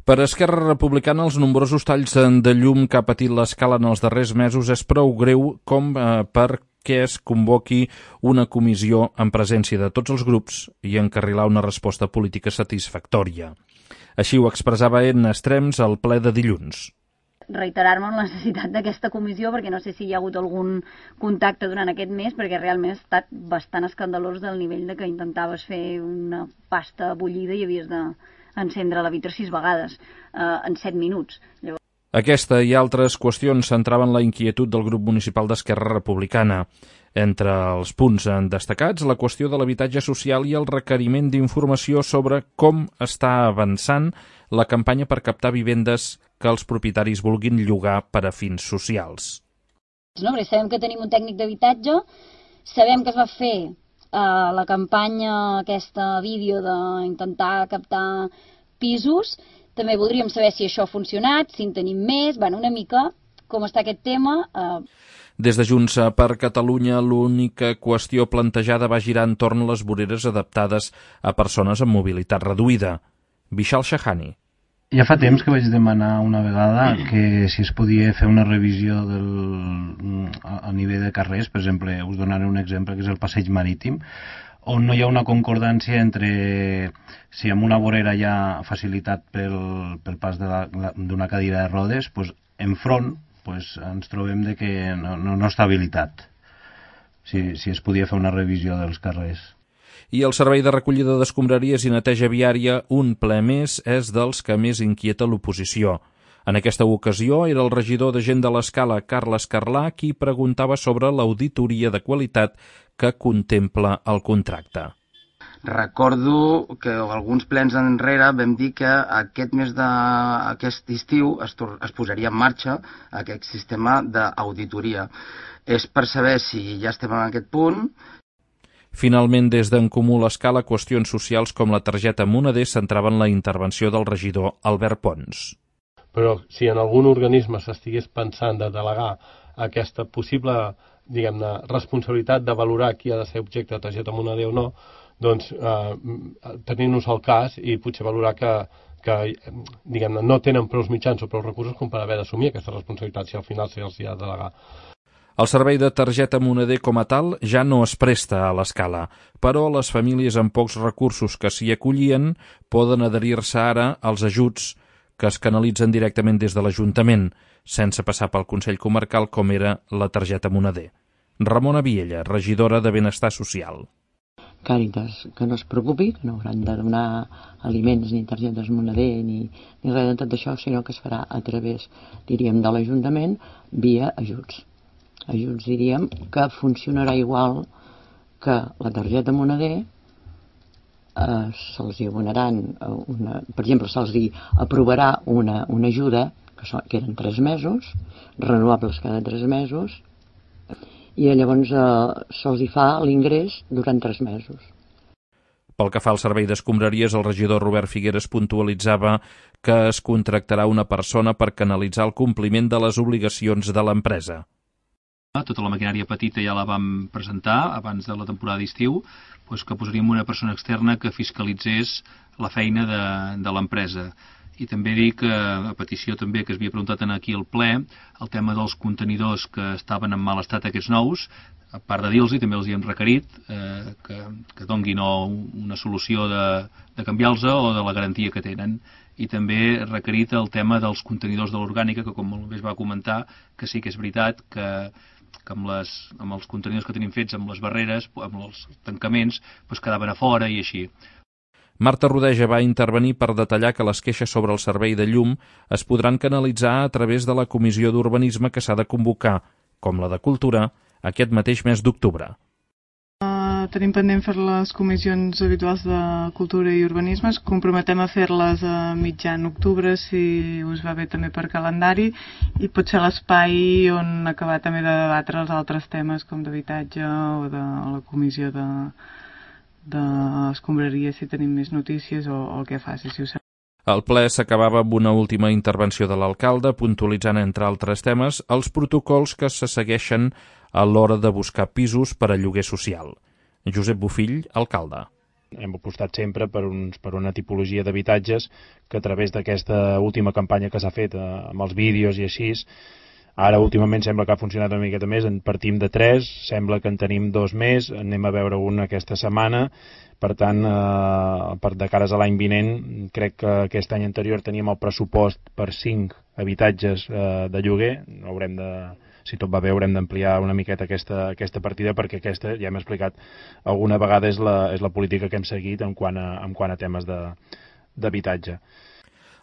Per Esquerra Republicana, els nombrosos talls de llum que ha patit l'Escala en els darrers mesos és prou greu com perquè es convoqui una comissió en presència de tots els grups i encarrilar una resposta política satisfactòria. Així ho expressava Edna Estrems al ple de dilluns. Reiterar-me en la necessitat d'aquesta comissió, perquè no sé si hi ha hagut algun contacte durant aquest mes, perquè realment ha estat bastant escandalós del nivell de que intentaves fer una pasta bullida i havies d'encendre la vitra 6 vegades en 7 minuts. Llavors... Aquesta i altres qüestions centraven la inquietud del grup municipal d'Esquerra Republicana. Entre els punts destacats, la qüestió de l'habitatge social i el requeriment d'informació sobre com està avançant la campanya per captar vivendes que els propietaris vulguin llogar per a fins socials. No, perquè sabem que tenim un tècnic d'habitatge, sabem que es va fer la campanya, aquesta vídeo d'intentar captar pisos, també voldríem saber si això ha funcionat, si en tenim més, una mica com està aquest tema. Des de Junts per Catalunya, l'única qüestió plantejada va girar entorn a les voreres adaptades a persones amb mobilitat reduïda. Vishal Shahani. Ja fa temps que vaig demanar una vegada que si es podia fer una revisió a nivell de carrers, per exemple, us donaré un exemple, que és el passeig marítim, on no hi ha una concordància entre si amb una vorera hi ha facilitat pel pas d'una cadira de rodes, doncs enfront ens trobem que no està habilitat. Si es podia fer una revisió dels carrers. I el servei de recollida d'escombraries i neteja viària, un ple més, és dels que més inquieta l'oposició. En aquesta ocasió era el regidor de Gent de l'Escala, Carles Carlà, qui preguntava sobre l'auditoria de qualitat que contempla el contracte. Recordo que alguns plens enrere vam dir que aquest estiu es posaria en marxa aquest sistema d'auditoria. És per saber si ja estem en aquest punt. Finalment, des d'en Comú l'Escala, qüestions socials com la targeta Moneder centraven la intervenció del regidor Albert Pons. Però si en algun organisme s'estigués pensant de delegar aquesta possible, responsabilitat de valorar qui ha de ser objecte de targeta Moneder o no, doncs tenint-nos al cas i potser valorar que no tenen prou mitjans o prou recursos com per haver d'assumir aquesta responsabilitat si al final se'ls ha de delegar. El servei de targeta Moneder com a tal ja no es presta a l'Escala, però les famílies amb pocs recursos que s'hi acollien poden adherir-se ara als ajuts que es canalitzen directament des de l'Ajuntament, sense passar pel Consell Comarcal com era la targeta Moneder. Ramona Viella, regidora de Benestar Social. Càritas, que no es preocupi, que no hauran de donar aliments ni targetes Moneder ni res de tot això, sinó que es farà a través, diríem, de l'Ajuntament via ajuts. Ajuts, diríem, que funcionarà igual que la targeta Moneder, se'ls abonaran, per exemple, se'ls aprovarà una ajuda, que eren 3 mesos, renovables cada 3 mesos, i llavors se'ls fa l'ingrés durant 3 mesos. Pel que fa al servei d'escombraries, el regidor Robert Figueres puntualitzava que es contractarà una persona per canalitzar el compliment de les obligacions de l'empresa. Tota la maquinària petita ja la vam presentar abans de la temporada d'estiu, que posaríem una persona externa que fiscalitzés la feina de l'empresa. I també dic, a petició també que es havia preguntat aquí al ple, el tema dels contenidors que estaven en mal estat aquests nous, a part de dir-los, també els hi hem requerit que donguin una solució de canviar-los o de la garantia que tenen. I també requerit el tema dels contenidors de l'orgànica, que com molt bé es va comentar, que sí que és veritat que amb els contenidors que tenim fets, amb les barreres, amb els tancaments, quedaven a fora i així. Marta Rodeja va intervenir per detallar que les queixes sobre el servei de llum es podran canalitzar a través de la Comissió d'Urbanisme que s'ha de convocar, com la de Cultura, aquest mateix mes d'octubre. Tenim pendent fer les comissions habituals de Cultura i Urbanisme. Ens comprometem a fer-les a mitjan octubre, si us va bé també per calendari, i pot ser l'espai on acabar també de debatre els altres temes com d'habitatge o de la comissió d'escombraria, si tenim més notícies o el que faci, si ho sap. El ple s'acabava amb una última intervenció de l'alcalde, puntualitzant, entre altres temes, els protocols que se segueixen a l'hora de buscar pisos per a lloguer social. Josep Bofill, alcalde. hem apostat sempre per una tipologia d'habitatges que a través d'aquesta última campanya que s'ha fet amb els vídeos i així, ara últimament sembla que ha funcionat una miqueta més, en partim de 3, sembla que en tenim 2 més, anem a veure un aquesta setmana, per tant, de cares a l'any vinent, crec que aquest any anterior teníem el pressupost per 5 habitatges de lloguer, si tot va bé haurem d'ampliar una miqueta aquesta partida, perquè aquesta, ja hem explicat alguna vegada, és la política que hem seguit en quant a temes d'habitatge.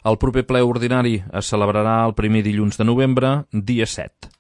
El proper ple ordinari es celebrarà el primer dilluns de novembre, dia 7.